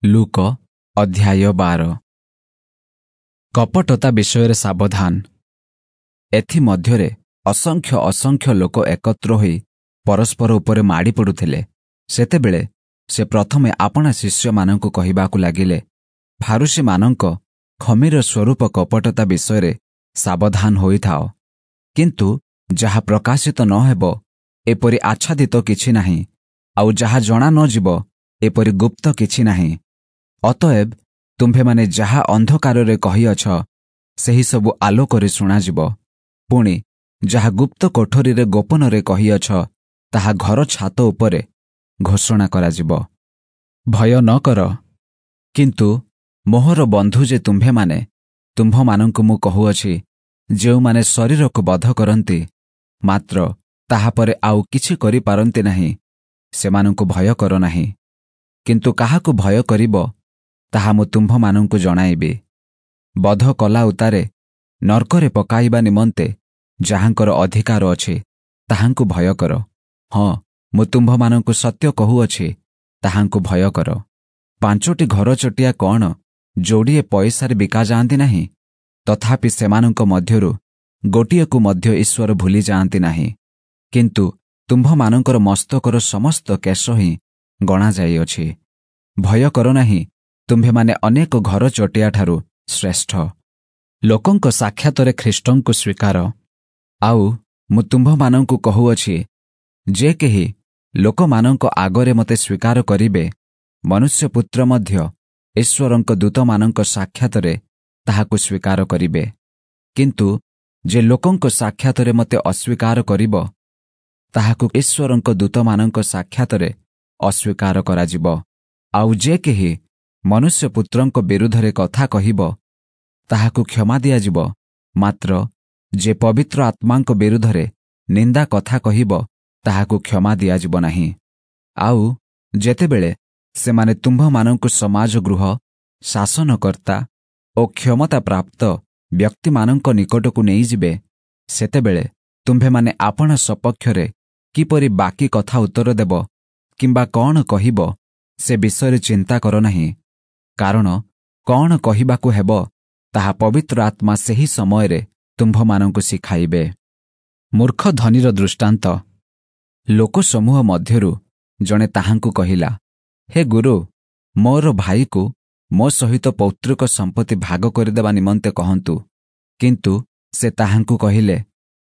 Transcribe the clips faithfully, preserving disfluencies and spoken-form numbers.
ଲୂକ ଅଧ୍ୟାୟ ବାର। କପଟତା ବିଷୟରେ ସାବଧାନ। ଏଥିମଧ୍ୟରେ ଅସଂଖ୍ୟ ଅସଂଖ୍ୟ ଲୋକ ଏକତ୍ର ହୋଇ ପରସ୍ପର ଉପରେ ମାଡ଼ି ପଡୁଥିଲେ। ସେତେବେଳେ ସେ ପ୍ରଥମେ ଆପଣା ଶିଷ୍ୟମାନଙ୍କୁ କହିବାକୁ ଲାଗିଲେ, ଫାରୂଶୀମାନଙ୍କ ଖମୀର ସ୍ୱରୂପ କପଟତା ବିଷୟରେ ସାବଧାନ ହୋଇଥାଅ। କିନ୍ତୁ ଯାହା ପ୍ରକାଶିତ ନ ହେବ, ଏପରି ଆଚ୍ଛାଦିତ କିଛି ନାହିଁ, ଆଉ ଯାହା ଜଣା ନ ଯିବ, ଏପରି ଗୁପ୍ତ କିଛି ନାହିଁ। ଅତଏବ ତୁମ୍ଭେମାନେ ଯାହା ଅନ୍ଧକାରରେ କହିଅଛ, ସେହିସବୁ ଆଲୋକରେ ଶୁଣାଯିବ। ପୁଣି ଯାହା ଗୁପ୍ତ କୋଠରୀରେ ଗୋପନରେ କହିଅଛ, ତାହା ଘର ଛାତ ଉପରେ ଘୋଷଣା କରାଯିବ। ଭୟ ନ କର, କିନ୍ତୁ ମୋହର ବନ୍ଧୁ ଯେ ତୁମ୍ଭେମାନେ, ତୁମ୍ଭମାନଙ୍କୁ ମୁଁ କହୁଅଛି, ଯେଉଁମାନେ ଶରୀରକୁ ବଧ କରନ୍ତି, ମାତ୍ର ତାହାପରେ ଆଉ କିଛି କରିପାରନ୍ତି ନାହିଁ, ସେମାନଙ୍କୁ ଭୟ କର ନାହିଁ। କିନ୍ତୁ କାହାକୁ ଭୟ କରିବ, ତାହା ମୁଁ ତୁମ୍ଭମାନଙ୍କୁ ଜଣାଇବି। ବଧ କଲା ଉତ୍ତାରେ ନର୍କରେ ପକାଇବା ନିମନ୍ତେ ଯାହାଙ୍କର ଅଧିକାର ଅଛି, ତାହାଙ୍କୁ ଭୟ କର। ହଁ, ମୁଁ ତୁମ୍ଭମାନଙ୍କୁ ସତ୍ୟ କହୁଅଛି, ତାହାଙ୍କୁ ଭୟ କର। ପାଞ୍ଚୋଟି ଘରଚଟିଆ କ'ଣ ଯୋଡ଼ିଏ ପଇସାରେ ବିକାଯାଆନ୍ତି ନାହିଁ? ତଥାପି ସେମାନଙ୍କ ମଧ୍ୟରୁ ଗୋଟିଏକୁ ମଧ୍ୟ ଈଶ୍ୱର ଭୁଲି ଯାଆନ୍ତି ନାହିଁ। କିନ୍ତୁ ତୁମ୍ଭମାନଙ୍କର ମସ୍ତକର ସମସ୍ତ କେଶ ହିଁ ଗଣାଯାଇଅଛି। ଭୟ କର ନାହିଁ, ତୁମ୍ଭେମାନେ ଅନେକ ଘରଚଟିଆଠାରୁ ଶ୍ରେଷ୍ଠ। ଲୋକଙ୍କ ସାକ୍ଷାତରେ ଖ୍ରୀଷ୍ଟଙ୍କୁ ସ୍ୱୀକାର। ଆଉ ମୁଁ ତୁମ୍ଭମାନଙ୍କୁ କହୁଅଛି, ଯେ କେହି ଲୋକମାନଙ୍କ ଆଗରେ ମୋତେ ସ୍ୱୀକାର କରିବେ, ମନୁଷ୍ୟପୁତ୍ର ମଧ୍ୟ ଈଶ୍ୱରଙ୍କ ଦୂତମାନଙ୍କ ସାକ୍ଷାତରେ ତାହାକୁ ସ୍ୱୀକାର କରିବେ। କିନ୍ତୁ ଯେ ଲୋକଙ୍କ ସାକ୍ଷାତରେ ମୋତେ ଅସ୍ୱୀକାର କରିବ, ତାହାକୁ ଈଶ୍ୱରଙ୍କ ଦୂତମାନଙ୍କ ସାକ୍ଷାତରେ ଅସ୍ୱୀକାର କରାଯିବ। ଆଉ ଯେ କେହି ମନୁଷ୍ୟପୁତ୍ରଙ୍କ ବିରୁଦ୍ଧରେ କଥା କହିବ, ତାହାକୁ କ୍ଷମା ଦିଆଯିବ, ମାତ୍ର ଯେ ପବିତ୍ର ଆତ୍ମାଙ୍କ ବିରୁଦ୍ଧରେ ନିନ୍ଦା କଥା କହିବ, ତାହାକୁ କ୍ଷମା ଦିଆଯିବ ନାହିଁ। ଆଉ ଯେତେବେଳେ ସେମାନେ ତୁମ୍ଭମାନଙ୍କୁ ସମାଜ ଗୃହ, ଶାସନକର୍ତ୍ତା ଓ କ୍ଷମତାପ୍ରାପ୍ତ ବ୍ୟକ୍ତିମାନଙ୍କ ନିକଟକୁ ନେଇଯିବେ, ସେତେବେଳେ ତୁମ୍ଭେମାନେ ଆପଣା ସପକ୍ଷରେ କିପରି ବାକି କଥା ଉତ୍ତର ଦେବ କିମ୍ବା କ'ଣ କହିବ, ସେ ବିଷୟରେ ଚିନ୍ତା କର ନାହିଁ। କାରଣ କ'ଣ କହିବାକୁ ହେବ, ତାହା ପବିତ୍ର ଆତ୍ମା ସେହି ସମୟରେ ତୁମ୍ଭମାନଙ୍କୁ ଶିଖାଇବେ। ମୂର୍ଖ ଧନୀର ଦୃଷ୍ଟାନ୍ତ। ଲୋକସମୂହ ମଧ୍ୟରୁ ଜଣେ ତାହାଙ୍କୁ କହିଲା, ହେ ଗୁରୁ, ମୋର ଭାଇକୁ ମୋ ସହିତ ପୈତୃକ ସମ୍ପତ୍ତି ଭାଗ କରିଦେବା ନିମନ୍ତେ କହନ୍ତୁ। କିନ୍ତୁ ସେ ତାହାଙ୍କୁ କହିଲେ,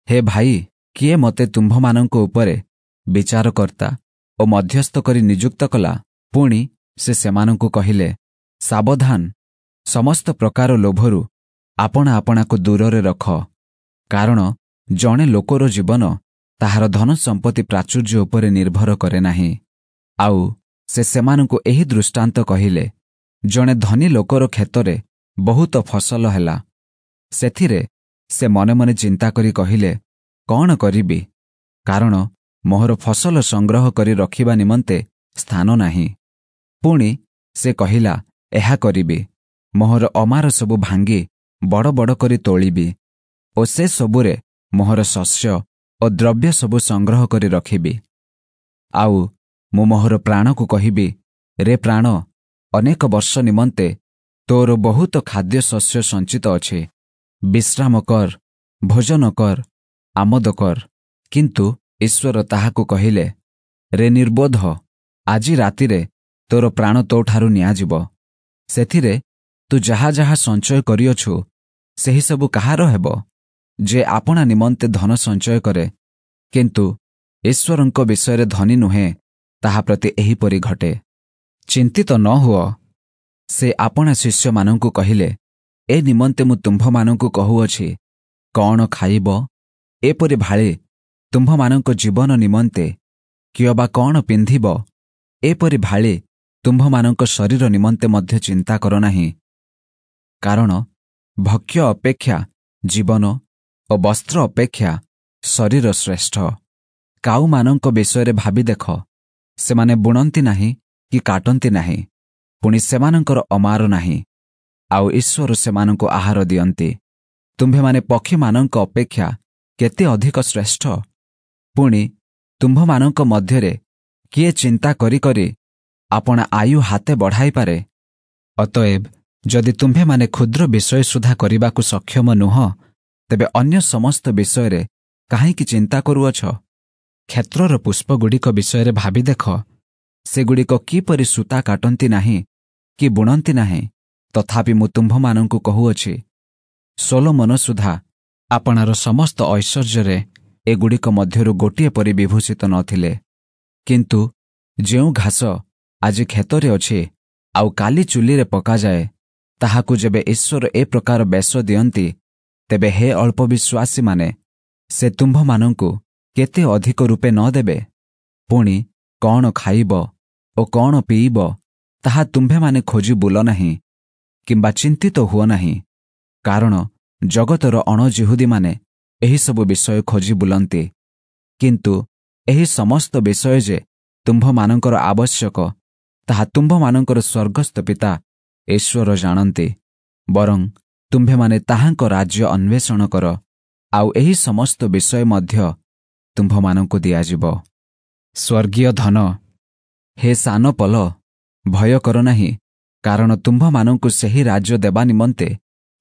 ହେ ଭାଇ, କିଏ ମୋତେ ତୁମ୍ଭମାନଙ୍କ ଉପରେ ବିଚାରକର୍ତ୍ତା ଓ ମଧ୍ୟସ୍ଥ କରି ନିଯୁକ୍ତ କଲା? ପୁଣି ସେ ସେମାନଙ୍କୁ କହିଲେ, ସାବଧାନ, ସମସ୍ତ ପ୍ରକାର ଲୋଭରୁ ଆପଣା ଆପଣାକୁ ଦୂରରେ ରଖ, କାରଣ ଜଣେ ଲୋକର ଜୀବନ ତାହାର ଧନ ସମ୍ପତ୍ତି ପ୍ରାଚୁର୍ଯ୍ୟ ଉପରେ ନିର୍ଭର କରେ ନାହିଁ। ଆଉ ସେ ସେମାନଙ୍କୁ ଏହି ଦୃଷ୍ଟାନ୍ତ କହିଲେ, ଜଣେ ଧନୀ ଲୋକର କ୍ଷେତରେ ବହୁତ ଫସଲ ହେଲା। ସେଥିରେ ସେ ମନେ ମନେ ଚିନ୍ତା କରି କହିଲେ, କ'ଣ କରିବି? କାରଣ ମୋହର ଫସଲ ସଂଗ୍ରହ କରି ରଖିବା ନିମନ୍ତେ ସ୍ଥାନ ନାହିଁ। ପୁଣି ସେ କହିଲା, ଏହା କରିବି, ମୋହର ଅମାର ସବୁ ଭାଙ୍ଗି ବଡ଼ ବଡ଼ କରି ତୋଳିବି ଓ ସେ ସବୁରେ ମୋହର ଶସ୍ୟ ଓ ଦ୍ରବ୍ୟ ସବୁ ସଂଗ୍ରହ କରି ରଖିବି। ଆଉ ମୁଁ ମୋହର ପ୍ରାଣକୁ କହିବି, ରେ ପ୍ରାଣ, ଅନେକ ବର୍ଷ ନିମନ୍ତେ ତୋର ବହୁତ ଖାଦ୍ୟ ଶସ୍ୟ ସଞ୍ଚିତ ଅଛି, ବିଶ୍ରାମ କର, ଭୋଜନ କର, ଆମୋଦ କର। କିନ୍ତୁ ଈଶ୍ୱର ତାହାକୁ କହିଲେ, ରେ ନିର୍ବୋଧ, ଆଜି ରାତିରେ ତୋର ପ୍ରାଣ ତୋଠାରୁ ନିଆଯିବ। ସେଥିରେ ତୁ ଯାହା ଯାହା ସଞ୍ଚୟ କରିଅଛୁ, ସେହିସବୁ କାହାର ହେବ? ଯେ ଆପଣା ନିମନ୍ତେ ଧନ ସଞ୍ଚୟ କରେ, କିନ୍ତୁ ଈଶ୍ୱରଙ୍କ ବିଷୟରେ ଧନୀ ନୁହେଁ, ତାହା ପ୍ରତି ଏହିପରି ଘଟେ। ଚିନ୍ତିତ ନ ହୁଅ। ସେ ଆପଣା ଶିଷ୍ୟମାନଙ୍କୁ କହିଲେ, ଏ ନିମନ୍ତେ ମୁଁ ତୁମ୍ଭମାନଙ୍କୁ କହୁଅଛି, କ'ଣ ଖାଇବ, ଏପରି ଭାଳି ତୁମ୍ଭମାନଙ୍କ ଜୀବନ ନିମନ୍ତେ, କିଅବା କ'ଣ ପିନ୍ଧିବ, ଏପରି ଭାଳି ତୁମ୍ଭମାନଙ୍କ ଶରୀର ନିମନ୍ତେ ମଧ୍ୟ ଚିନ୍ତା କର ନାହିଁ। କାରଣ ଭକ୍ଷ୍ୟ ଅପେକ୍ଷା ଜୀବନ ଓ ବସ୍ତ୍ର ଅପେକ୍ଷା ଶରୀର ଶ୍ରେଷ୍ଠ। କାଉମାନଙ୍କ ବିଷୟରେ ଭାବି ଦେଖ, ସେମାନେ ବୁଣନ୍ତି ନାହିଁ କି କାଟନ୍ତି ନାହିଁ, ପୁଣି ସେମାନଙ୍କର ଅମାର ନାହିଁ, ଆଉ ଈଶ୍ୱର ସେମାନଙ୍କୁ ଆହାର ଦିଅନ୍ତି। ତୁମ୍ଭେମାନେ ପକ୍ଷୀମାନଙ୍କ ଅପେକ୍ଷା କେତେ ଅଧିକ ଶ୍ରେଷ୍ଠ। ପୁଣି ତୁମ୍ଭମାନଙ୍କ ମଧ୍ୟରେ କିଏ ଚିନ୍ତା କରି କରି ଆପଣା ଆୟୁ ହାତେ ବଢ଼ାଇପାରେ? ଅତଏବ ଯଦି ତୁମ୍ଭେମାନେ କ୍ଷୁଦ୍ର ବିଷୟ ସୁଦ୍ଧା କରିବାକୁ ସକ୍ଷମ ନୁହଁ, ତେବେ ଅନ୍ୟ ସମସ୍ତ ବିଷୟରେ କାହିଁକି ଚିନ୍ତା କରୁଅଛ? କ୍ଷେତ୍ରର ପୁଷ୍ପଗୁଡ଼ିକ ବିଷୟରେ ଭାବି ଦେଖ, ସେଗୁଡ଼ିକ କିପରି ସୂତା କାଟନ୍ତି ନାହିଁ କି ବୁଣନ୍ତି ନାହିଁ, ତଥାପି ମୁଁ ତୁମ୍ଭମାନଙ୍କୁ କହୁଅଛି, ସୋଲୋମନ ସୁଦ୍ଧା ଆପଣାର ସମସ୍ତ ଐଶ୍ୱର୍ଯ୍ୟରେ ଏଗୁଡ଼ିକ ମଧ୍ୟରୁ ଗୋଟିଏ ପରି ବିଭୂଷିତ ନଥିଲେ। କିନ୍ତୁ ଯେଉଁ ଘାସ ଆଜି କ୍ଷେତରେ ଅଛି ଆଉ କାଲି ଚୁଲିରେ ପକାଯାଏ, ତାହାକୁ ଯେବେ ଈଶ୍ୱର ଏ ପ୍ରକାର ବେଶ ଦିଅନ୍ତି, ତେବେ ହେ ଅଳ୍ପ ବିଶ୍ୱାସୀମାନେ, ସେ ତୁମ୍ଭମାନଙ୍କୁ କେତେ ଅଧିକ ରୂପେ ନ ଦେବେ? ପୁଣି କ'ଣ ଖାଇବ ଓ କ'ଣ ପିଇବ, ତାହା ତୁମ୍ଭେମାନେ ଖୋଜି ବୁଲ ନାହିଁ କିମ୍ବା ଚିନ୍ତିତ ହୁଅ ନାହିଁ, କାରଣ ଜଗତର ଅଣଜିହୁଦୀମାନେ ଏହିସବୁ ବିଷୟ ଖୋଜି ବୁଲନ୍ତି। କିନ୍ତୁ ଏହି ସମସ୍ତ ବିଷୟ ଯେ ତୁମ୍ଭମାନଙ୍କର ଆବଶ୍ୟକ, ତାହା ତୁମ୍ଭମାନଙ୍କର ସ୍ୱର୍ଗସ୍ଥ ପିତା ଈଶ୍ୱର ଜାଣନ୍ତି। ବରଂ ତୁମ୍ଭେମାନେ ତାହାଙ୍କ ରାଜ୍ୟ ଅନ୍ୱେଷଣ କର, ଆଉ ଏହି ସମସ୍ତ ବିଷୟ ମଧ୍ୟ ତୁମ୍ଭମାନଙ୍କୁ ଦିଆଯିବ। ସ୍ୱର୍ଗୀୟ ଧନ। ହେ ସାନ ପଲ, ଭୟ କର ନାହିଁ, କାରଣ ତୁମ୍ଭମାନଙ୍କୁ ସେହି ରାଜ୍ୟ ଦେବା ନିମନ୍ତେ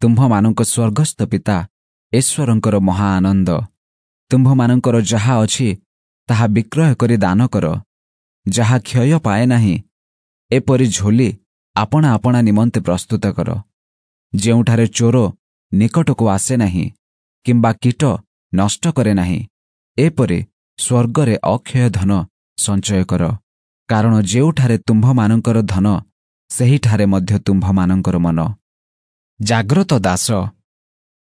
ତୁମ୍ଭମାନଙ୍କ ସ୍ୱର୍ଗସ୍ଥ ପିତା ଈଶ୍ୱରଙ୍କର ମହା ଆନନ୍ଦ। ତୁମ୍ଭମାନଙ୍କର ଯାହା ଅଛି ତାହା ବିକ୍ରୟ କରି ଦାନ କର। ଯାହା କ୍ଷୟ ପାଏ ନାହିଁ, ଏପରି ଝୋଲି ଆପଣା ଆପଣା ନିମନ୍ତେ ପ୍ରସ୍ତୁତ କର, ଯେଉଁଠାରେ ଚୋର ନିକଟକୁ ଆସେ ନାହିଁ କିମ୍ବା କୀଟ ନଷ୍ଟ କରେ ନାହିଁ। ଏପରି ସ୍ୱର୍ଗରେ ଅକ୍ଷୟ ଧନ ସଞ୍ଚୟ କର, କାରଣ ଯେଉଁଠାରେ ତୁମ୍ଭମାନଙ୍କର ଧନ, ସେହିଠାରେ ମଧ୍ୟ ତୁମ୍ଭମାନଙ୍କର ମନ। ଜାଗ୍ରତ ଦାସ।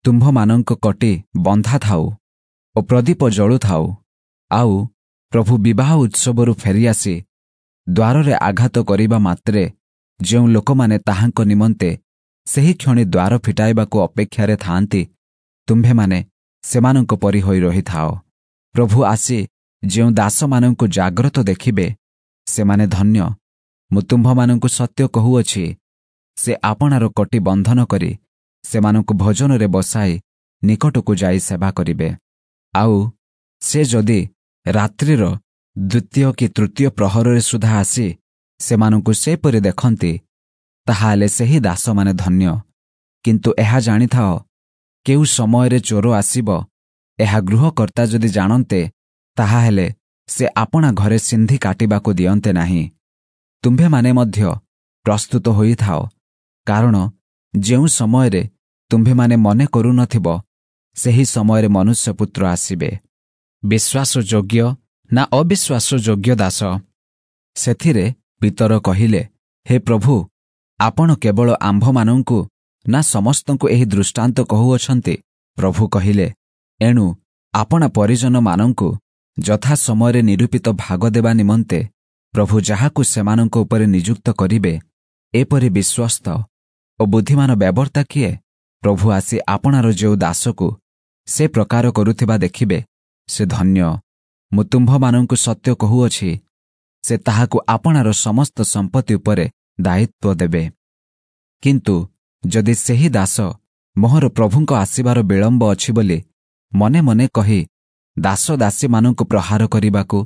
ତୁମ୍ଭମାନଙ୍କ କଟି ବନ୍ଧା ଥାଉ ଓ ପ୍ରଦୀପ ଜଳୁଥାଉ, ଆଉ ପ୍ରଭୁ ବିବାହ ଉତ୍ସବରୁ ଫେରିଆସି ଦ୍ୱାରରେ ଆଘାତ କରିବା ମାତ୍ରେ ଯେଉଁ ଲୋକମାନେ ତାହାଙ୍କ ନିମନ୍ତେ ସେହି କ୍ଷଣି ଦ୍ୱାର ଫିଟାଇବାକୁ ଅପେକ୍ଷାରେ ଥାଆନ୍ତି, ତୁମ୍ଭେମାନେ ସେମାନଙ୍କ ପରି ହୋଇ ରହିଥାଅ। ପ୍ରଭୁ ଆସି ଯେଉଁ ଦାସମାନଙ୍କୁ ଜାଗ୍ରତ ଦେଖିବେ, ସେମାନେ ଧନ୍ୟ। ମୁଁ ତୁମ୍ଭମାନଙ୍କୁ ସତ୍ୟ କହୁଅଛି, ସେ ଆପଣାର କଟି ବନ୍ଧନ କରି ସେମାନଙ୍କୁ ଭୋଜନରେ ବସାଇ ନିକଟକୁ ଯାଇ ସେବା କରିବେ। ଆଉ ସେ ଯଦି ରାତ୍ରିର ଦ୍ୱିତୀୟ କି ତୃତୀୟ ପ୍ରହରରେ ସୁଦ୍ଧା ଆସି ସେମାନଙ୍କୁ ସେପରି ଦେଖନ୍ତି, ତାହାହେଲେ ସେହି ଦାସମାନେ ଧନ୍ୟ। କିନ୍ତୁ ଏହା ଜାଣିଥାଅ, କେଉଁ ସମୟରେ ଚୋର ଆସିବ, ଏହା ଗୃହକର୍ତ୍ତା ଯଦି ଜାଣନ୍ତେ, ତାହାହେଲେ ସେ ଆପଣା ଘରେ ସିନ୍ଧି କାଟିବାକୁ ଦିଅନ୍ତେ ନାହିଁ। ତୁମ୍ଭେମାନେ ମଧ୍ୟ ପ୍ରସ୍ତୁତ ହୋଇଥାଅ, କାରଣ ଯେଉଁ ସମୟରେ ତୁମ୍ଭେମାନେ ମନେ କରୁନଥିବ, ସେହି ସମୟରେ ମନୁଷ୍ୟପୁତ୍ର ଆସିବେ। ବିଶ୍ୱାସଯୋଗ୍ୟ ନା ଅବିଶ୍ୱାସଯୋଗ୍ୟ ଦାସ? ସେଥିରେ ପିତର କହିଲେ, ହେ ପ୍ରଭୁ, ଆପଣ କେବଳ ଆମ୍ଭମାନଙ୍କୁ ନା ସମସ୍ତଙ୍କୁ ଏହି ଦୃଷ୍ଟାନ୍ତ କହୁଅଛନ୍ତି? ପ୍ରଭୁ କହିଲେ, ଏଣୁ ଆପଣା ପରିଜନମାନଙ୍କୁ ଯଥା ସମୟରେ ନିରୂପିତ ଭାଗ ଦେବା ନିମନ୍ତେ ପ୍ରଭୁ ଯାହାକୁ ସେମାନଙ୍କ ଉପରେ ନିଯୁକ୍ତ କରିବେ, ଏପରି ବିଶ୍ୱସ୍ତ ଓ ବୁଦ୍ଧିମାନ ବ୍ୟବର୍ତ୍ତା କିଏ? ପ୍ରଭୁ ଆସି ଆପଣାର ଯେଉଁ ଦାସକୁ ସେ ପ୍ରକାର କରୁଥିବା ଦେଖିବେ, ସେ ଧନ୍ୟ। ମୁଁ ତୁମ୍ଭମାନଙ୍କୁ ସତ୍ୟ କହୁଅଛି, ସେ ତାହାକୁ ଆପଣାର ସମସ୍ତ ସମ୍ପତ୍ତି ଉପରେ ଦାୟିତ୍ୱ ଦେବେ। କିନ୍ତୁ ଯଦି ସେହି ଦାସ ମୋହର ପ୍ରଭୁଙ୍କ ଆସିବାର ବିଳମ୍ବ ଅଛି ବୋଲି ମନେ ମନେ କହି ଦାସ ଦାସୀମାନଙ୍କୁ ପ୍ରହାର କରିବାକୁ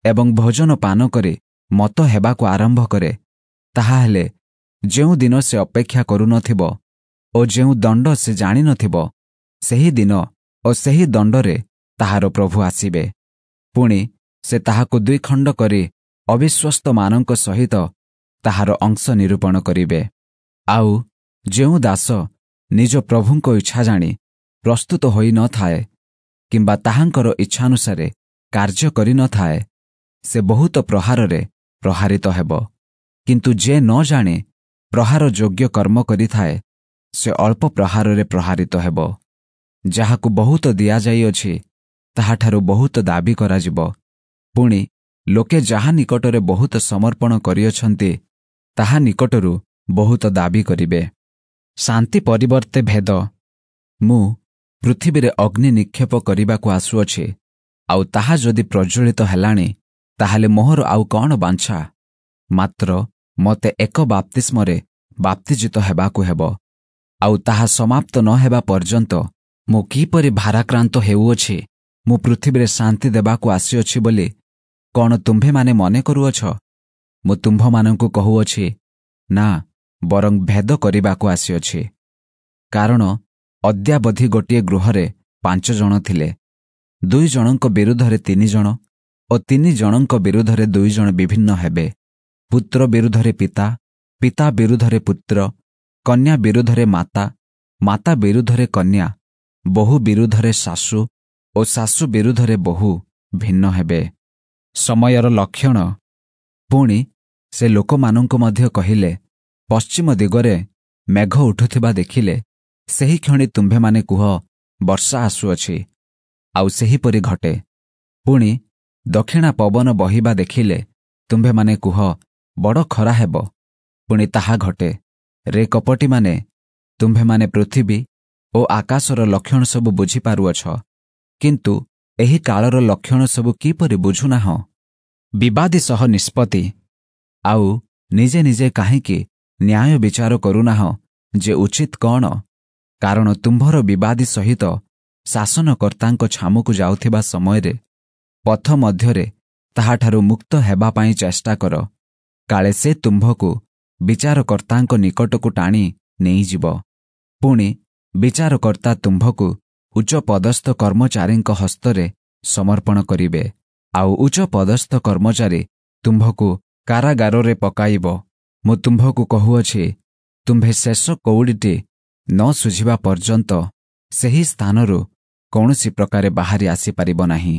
ଏବଂ ଭୋଜନ ପାନ କରି ମତ ହେବାକୁ ଆରମ୍ଭ କରେ, ତାହାହେଲେ ଯେଉଁ ଦିନ ସେ ଅପେକ୍ଷା କରୁନଥିବ ଓ ଯେଉଁ ଦଣ୍ଡ ସେ ଜାଣିନଥିବ, ସେହି ଦିନ ଓ ସେହି ଦଣ୍ଡରେ ତାହାର ପ୍ରଭୁ ଆସିବେ। ପୁଣି ସେ ତାହାକୁ ଦୁଇ ଖଣ୍ଡ କରି ଅବିଶ୍ୱସ୍ତମାନଙ୍କ ସହିତ ତାହାର ଅଂଶ ନିରୂପଣ କରିବେ। ଆଉ ଯେଉଁ ଦାସ ନିଜ ପ୍ରଭୁଙ୍କ ଇଚ୍ଛା ଜାଣି ପ୍ରସ୍ତୁତ ହୋଇନଥାଏ କିମ୍ବା ତାହାଙ୍କର ଇଚ୍ଛାନୁସାରେ କାର୍ଯ୍ୟ କରିନଥାଏ, ସେ ବହୁତ ପ୍ରହାରରେ ପ୍ରହାରିତ ହେବ। କିନ୍ତୁ ଯେ ନ ଜାଣି ପ୍ରହାର ଯୋଗ୍ୟ କର୍ମ କରିଥାଏ, ସେ ଅଳ୍ପ ପ୍ରହାରରେ ପ୍ରହାରିତ ହେବ। ଯାହାକୁ ବହୁତ ଦିଆଯାଇଅଛି, ତାହାଠାରୁ ବହୁତ ଦାବି କରାଯିବ। ପୁଣି ଲୋକେ ଯାହା ନିକଟରେ ବହୁତ ସମର୍ପଣ କରିଅଛନ୍ତି, ତାହା ନିକଟରୁ ବହୁତ ଦାବି କରିବେ। ଶାନ୍ତି ପରିବର୍ତ୍ତେ ଭେଦ। ମୁଁ ପୃଥିବୀରେ ଅଗ୍ନି ନିକ୍ଷେପ କରିବାକୁ ଆସୁଅଛି, ଆଉ ତାହା ଯଦି ପ୍ରଜ୍ୱଳିତ ହେଲାଣି, ତାହେଲେ ମୋହର ଆଉ କ'ଣ ବାଞ୍ଛା? ମାତ୍ର ମୋତେ ଏକ ବାପ୍ତିସ୍ମରେ ବାପ୍ତିଜିତ ହେବାକୁ ହେବ, ଆଉ ତାହା ସମାପ୍ତ ନ ହେବା ପର୍ଯ୍ୟନ୍ତ ମୁଁ କିପରି ଭାରାକ୍ରାନ୍ତ ହେଉଅଛି। ମୁଁ ପୃଥିବୀରେ ଶାନ୍ତି ଦେବାକୁ ଆସିଅଛି ବୋଲି କ'ଣ ତୁମ୍ଭେମାନେ ମନେ କରୁଅଛ? ମୁଁ ତୁମ୍ଭମାନଙ୍କୁ କହୁଅଛି, ନା, ବରଂ ଭେଦ କରିବାକୁ ଆସିଅଛି। କାରଣ ଅଦ୍ୟାବଧି ଗୋଟିଏ ଗୃହରେ ପାଞ୍ଚ ଜଣ ଥିଲେ, ଦୁଇ ଜଣଙ୍କ ବିରୁଦ୍ଧରେ ତିନି ଜଣ ଓ ତିନି ଜଣଙ୍କ ବିରୁଦ୍ଧରେ ଦୁଇ ଜଣ ବିଭିନ୍ନ ହେବେ। ପୁତ୍ର ବିରୁଦ୍ଧରେ ପିତା, ପିତା ବିରୁଦ୍ଧରେ ପୁତ୍ର, କନ୍ୟା ବିରୁଦ୍ଧରେ ମାତା, ମାତା ବିରୁଦ୍ଧରେ କନ୍ୟା, ବୋହୂ ବିରୁଦ୍ଧରେ ଶାଶୁ ଓ ଶାଶୁ ବିରୁଦ୍ଧରେ ବୋହୂ ଭିନ୍ନ ହେବେ। ସମୟର ଲକ୍ଷଣ। ପୁଣି ସେ ଲୋକମାନଙ୍କୁ ମଧ୍ୟ କହିଲେ, ପଶ୍ଚିମ ଦିଗରେ ମେଘ ଉଠୁଥିବା ଦେଖିଲେ ସେହିକ୍ଷଣି ତୁମ୍ଭେମାନେ କୁହ, ବର୍ଷା ଆସୁଅଛି, ଆଉ ସେହିପରି ଘଟେ। ପୁଣି ଦକ୍ଷିଣା ପବନ ବହିବା ଦେଖିଲେ ତୁମ୍ଭେମାନେ କୁହ, ବଡ଼ ଖରା ହେବ, ପୁଣି ତାହା ଘଟେ। ରେ କପଟୀମାନେ, ତୁମ୍ଭେମାନେ ପୃଥିବୀ ଓ ଆକାଶର ଲକ୍ଷଣ ସବୁ ବୁଝିପାରୁଅଛ, କିନ୍ତୁ ଏହି କାଳର ଲକ୍ଷଣ ସବୁ କିପରି ବୁଝୁନାହଁ? ବିବାଦୀ ସହ ନିଷ୍ପତ୍ତି। ଆଉ ନିଜେ ନିଜେ କାହିଁକି ନ୍ୟାୟ ବିଚାର କରୁନାହଁ ଯେ ଉଚିତ କ'ଣ? କାରଣ ତୁମ୍ଭର ବିବାଦୀ ସହିତ ଶାସନକର୍ତ୍ତାଙ୍କ ଛାମୁକୁ ଯାଉଥିବା ସମୟରେ ପଥ ମଧ୍ୟରେ ତାହାଠାରୁ ମୁକ୍ତ ହେବା ପାଇଁ ଚେଷ୍ଟା କର, କାଳେ ସେ ତୁମ୍ଭକୁ ବିଚାରକର୍ତ୍ତାଙ୍କ ନିକଟକୁ ଟାଣି ନେଇଯିବ, ପୁଣି ବିଚାରକର୍ତ୍ତା ତୁମ୍ଭକୁ ଉଚ୍ଚ ପଦସ୍ଥ କର୍ମଚାରୀଙ୍କ ହସ୍ତରେ ସମର୍ପଣ କରିବେ, ଆଉ ଉଚ୍ଚ ପଦସ୍ଥ କର୍ମଚାରୀ ତୁମ୍ଭକୁ କାରାଗାରରେ ପକାଇବ। ମୁଁ ତୁମ୍ଭକୁ କହୁଅଛି, ତୁମ୍ଭେ ଶେଷ କଉଡ଼ିଟି ନ ଶୁଝିବା ପର୍ଯ୍ୟନ୍ତ ସେହି ସ୍ଥାନରୁ କୌଣସି ପ୍ରକାରେ ବାହାରି ଆସିପାରିବ ନାହିଁ।